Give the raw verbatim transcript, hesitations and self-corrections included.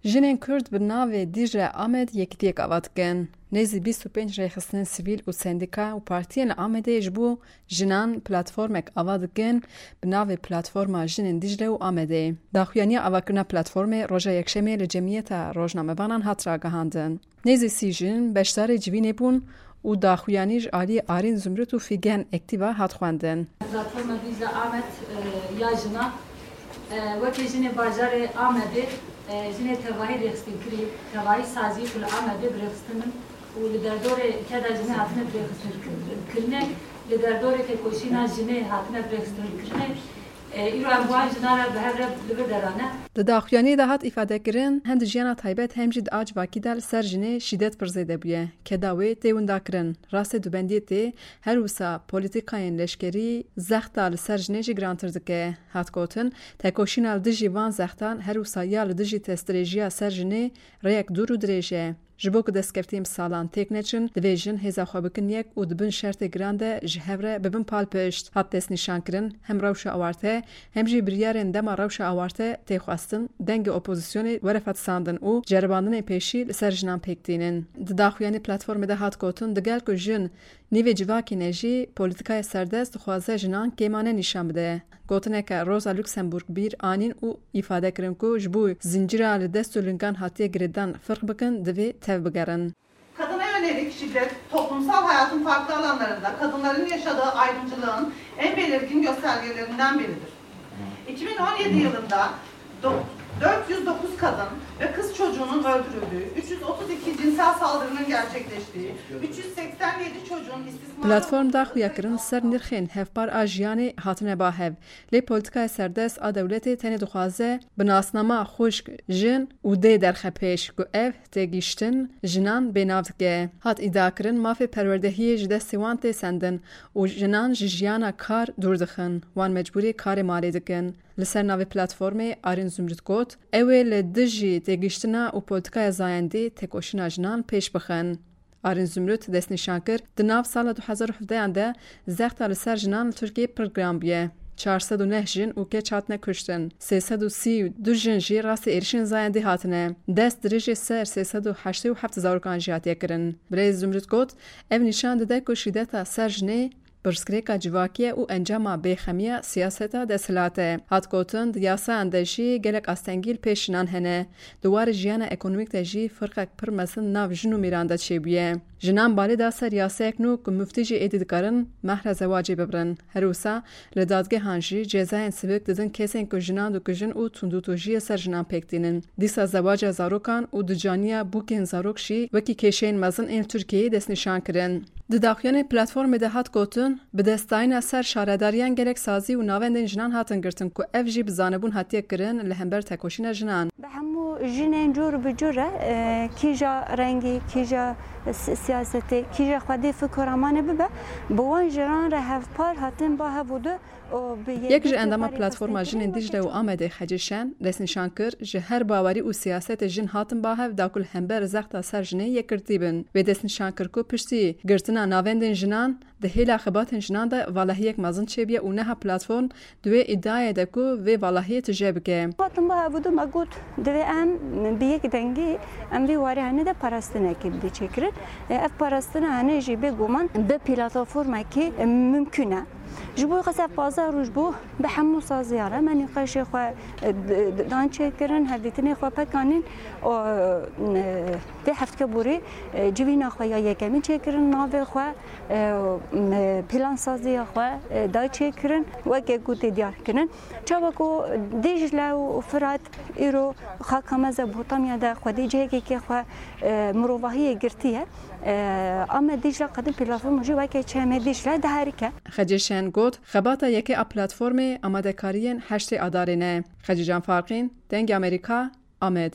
Jinên Kurd bi navê Dîcle Amed yekîtiyek ava dikin. Nêzî bîst û pênc rêxistinên sivîl û sendîka û partiyên li Amedê ji bo jinan platformek ava dikin, bi navê Platforma Jinên Dîcle û Amedê. Daxuyaniya avakirina platformê roja Yekşemê li Cemiyeta Rojnamevanan hat ragihandin. Nêzî sî jin beşdarê civînê bûn û daxuyanî ji alî Arîn Zumrut û Fîgen Ektîba hat xwendin. Platforma Dîcle Amed, e, ya jinan, e, wekî jinê bajarê Amedê, e, jinê tevahî rêxistin kirî, tevahî sazî ku li Amedê bi rêxistin in û li derdorê keda jinê hatine bi rêxistin kir-, kirinê, li derdorê têkoşîna jinê hatine bi rêxistin kirinê. E, îro em bi wan jinan re bi hev re li vir derane. Di daxuyaniyê de hat îfadekirin, hem di jiyana taybet hem jî di a civakî de li ser jinê şîdet pir zêde bûye. Keda wê tê windakirin. Rastê dubendiyê tê, her wisa polîtîkayên leşkerî zexta li ser jinê jî girantir dike. Hat gotin, tekoşîna li dijî van zextan her wisa ya li dijî destdirêjiya ser jinê rêyek dûr û dirêj e. Ji bo ku destkeftiyên bi salan têk neçin, divê jin hêza xwe bikin yek û di bin şertê giran de ji hev re bibin palpişt. Hat destnîşankirin, hem rewşa awarte, hem jî biryarên dema rewşa awarte tê xwestin, dengê opozisyonê were fetisandin û ceribandinên pêşî li ser jinan pêk tînin. Di daxuyanî platformê de hat gotin, digel ku jin nîvê civakê ne jî, polîtîkaya serdest dixwaze jinan kêmane nîşan bide. Gotineke Rosa Luxemburg bîr anîn û îfade kirin ku ji bo zincîra li dest û lingan hatiye girêdan firq bikin, divê tev bigerin. Kadına yönelik şiddet toplumsal hayatın farklı alanlarında kadınların yaşadığı ayrımcılığın en belirgin göstergelerinden biridir. iki bin on yedi yılında do-, dört yüz dokuz kadın ve kız çocuğunun öldürüldüğü, üç yüz otuz iki cinsel saldırının gerçekleştiği, üç yüz seksen yedi çocuğun istismara Platform da xuyakirin ser nirxên hevpar a jiyanê hatine ba hev. Lê polîtîkaya serdest a dewletê tenê dixwaze bi nasnama xwişk, jin û dê derxe pêş ku ev têgihiştin jinan bênav dike. Hat îdiakirin, mafê perwerdehiyê ji destê wan tê sendin û jinan ji jiyana kar dûr dixin, wan mecbûrî karê malê dikin. Li ser navê platformê Arîn Zumrut got, ew ê li dijî têgihiştina û polîtîkaya zayendî têkoşîna jinan pêş bixin. Arîn Zumrut destnîşan kir, di nav sala du hezar û hevdehan de zexta li ser jinan li Tirkiyeyê pir giran bûye. Çar sed û neh jin û keç hatine kuştin. Sê sed û sî û du jin jî rastî êrişên zayendî hatine. Dest dirêjê ser sê sed û heştê û heft zarokan jî hatiye kirin. Birêz Zumrut got, ev nîşan dide ku şîdeta ser jinê pirsgirêka civakî ye û encama bêxemiya siyaseta desthilat e. Hat gotin, di yasayan de jî gelek astengî li pêş jinan hene. Di warê jiyana ekonomîk de jî firqek pir mezin nav jin û mêran de çêbûye. Jinan balê da ser yasayek nû ku miftî jî êdî dikarin mehra zewacê bibirin. Her wisa li dadgehan jî cezayên sivik didin kesên ku jinan dikujin û tundûtojiyê ser jinan pêk tînin. Dîsa zewaca zarokan û dicaniya bûkên zarok jî wekî kêşeyên mezin ên li Tirkiyeyê destnîşan kirin. Di daxuyanê platformê de hat gotin, bi destdayîna ser şaredariyan gelek sazî û navendên jinan hatin girtin ku ev jî bi zanebûn hatiye kirin li hember tekoşîna jinan. Bi hemû jinên cûr bi cûr re, e, kîja rengî, kîja si-, siyasetê, kîja xwedî fikr û ramanê bibe, bi wan jinan re hevpar hatin ba hev û du û bi Yek ji yekê endama parê Platforma Jinên Dîcle û Amedê Xecê Şen destnîşan kir, ji her bawerî û siyasetê jin hatin ba hev da ku li hember zexta ser jinê yekgirtî bin. Wê destnîşan kir ku piştî girtina navendên jinan, di hêla xebatên jinan de valahiyek mezin çêbûye û niha platform di wê îdiayê de ku vê valahiyê tije bike. Hatin ba hev û du me got, divê em bi yek dengî em vî warê hene de parastinekê bidê çêkirin. E, ev parastina hene jî bêguman bi platformekî, e, mimkun e. Ji bo qas ev pazdeh roj bû, bi hemû saziya re me nîqaşê xwe, e, d-, d-, dan çêkirin, hevdîtinê xwe pekanîn. O, e, vê heftê borî, e, civîna xwe ya yekemîn çêkirin, navê xwe, e, m-, plansaziya xwe, e, da çêkirin, weke ku tê diyar kirin. Çawa ku Dîcle û Firat îro xaka Mezopotamya de xwedî cihekê xwe, e, mirovahiyê girtiye, e, Amed Dîcle qedî platforma jî weke Çemê Dîcle diherike. Xecê Şen got, xebata yekê a platformê amadekariyên heştê Adarê ne. Xecê Can Farqîn, Dengê Amerîka, Amed.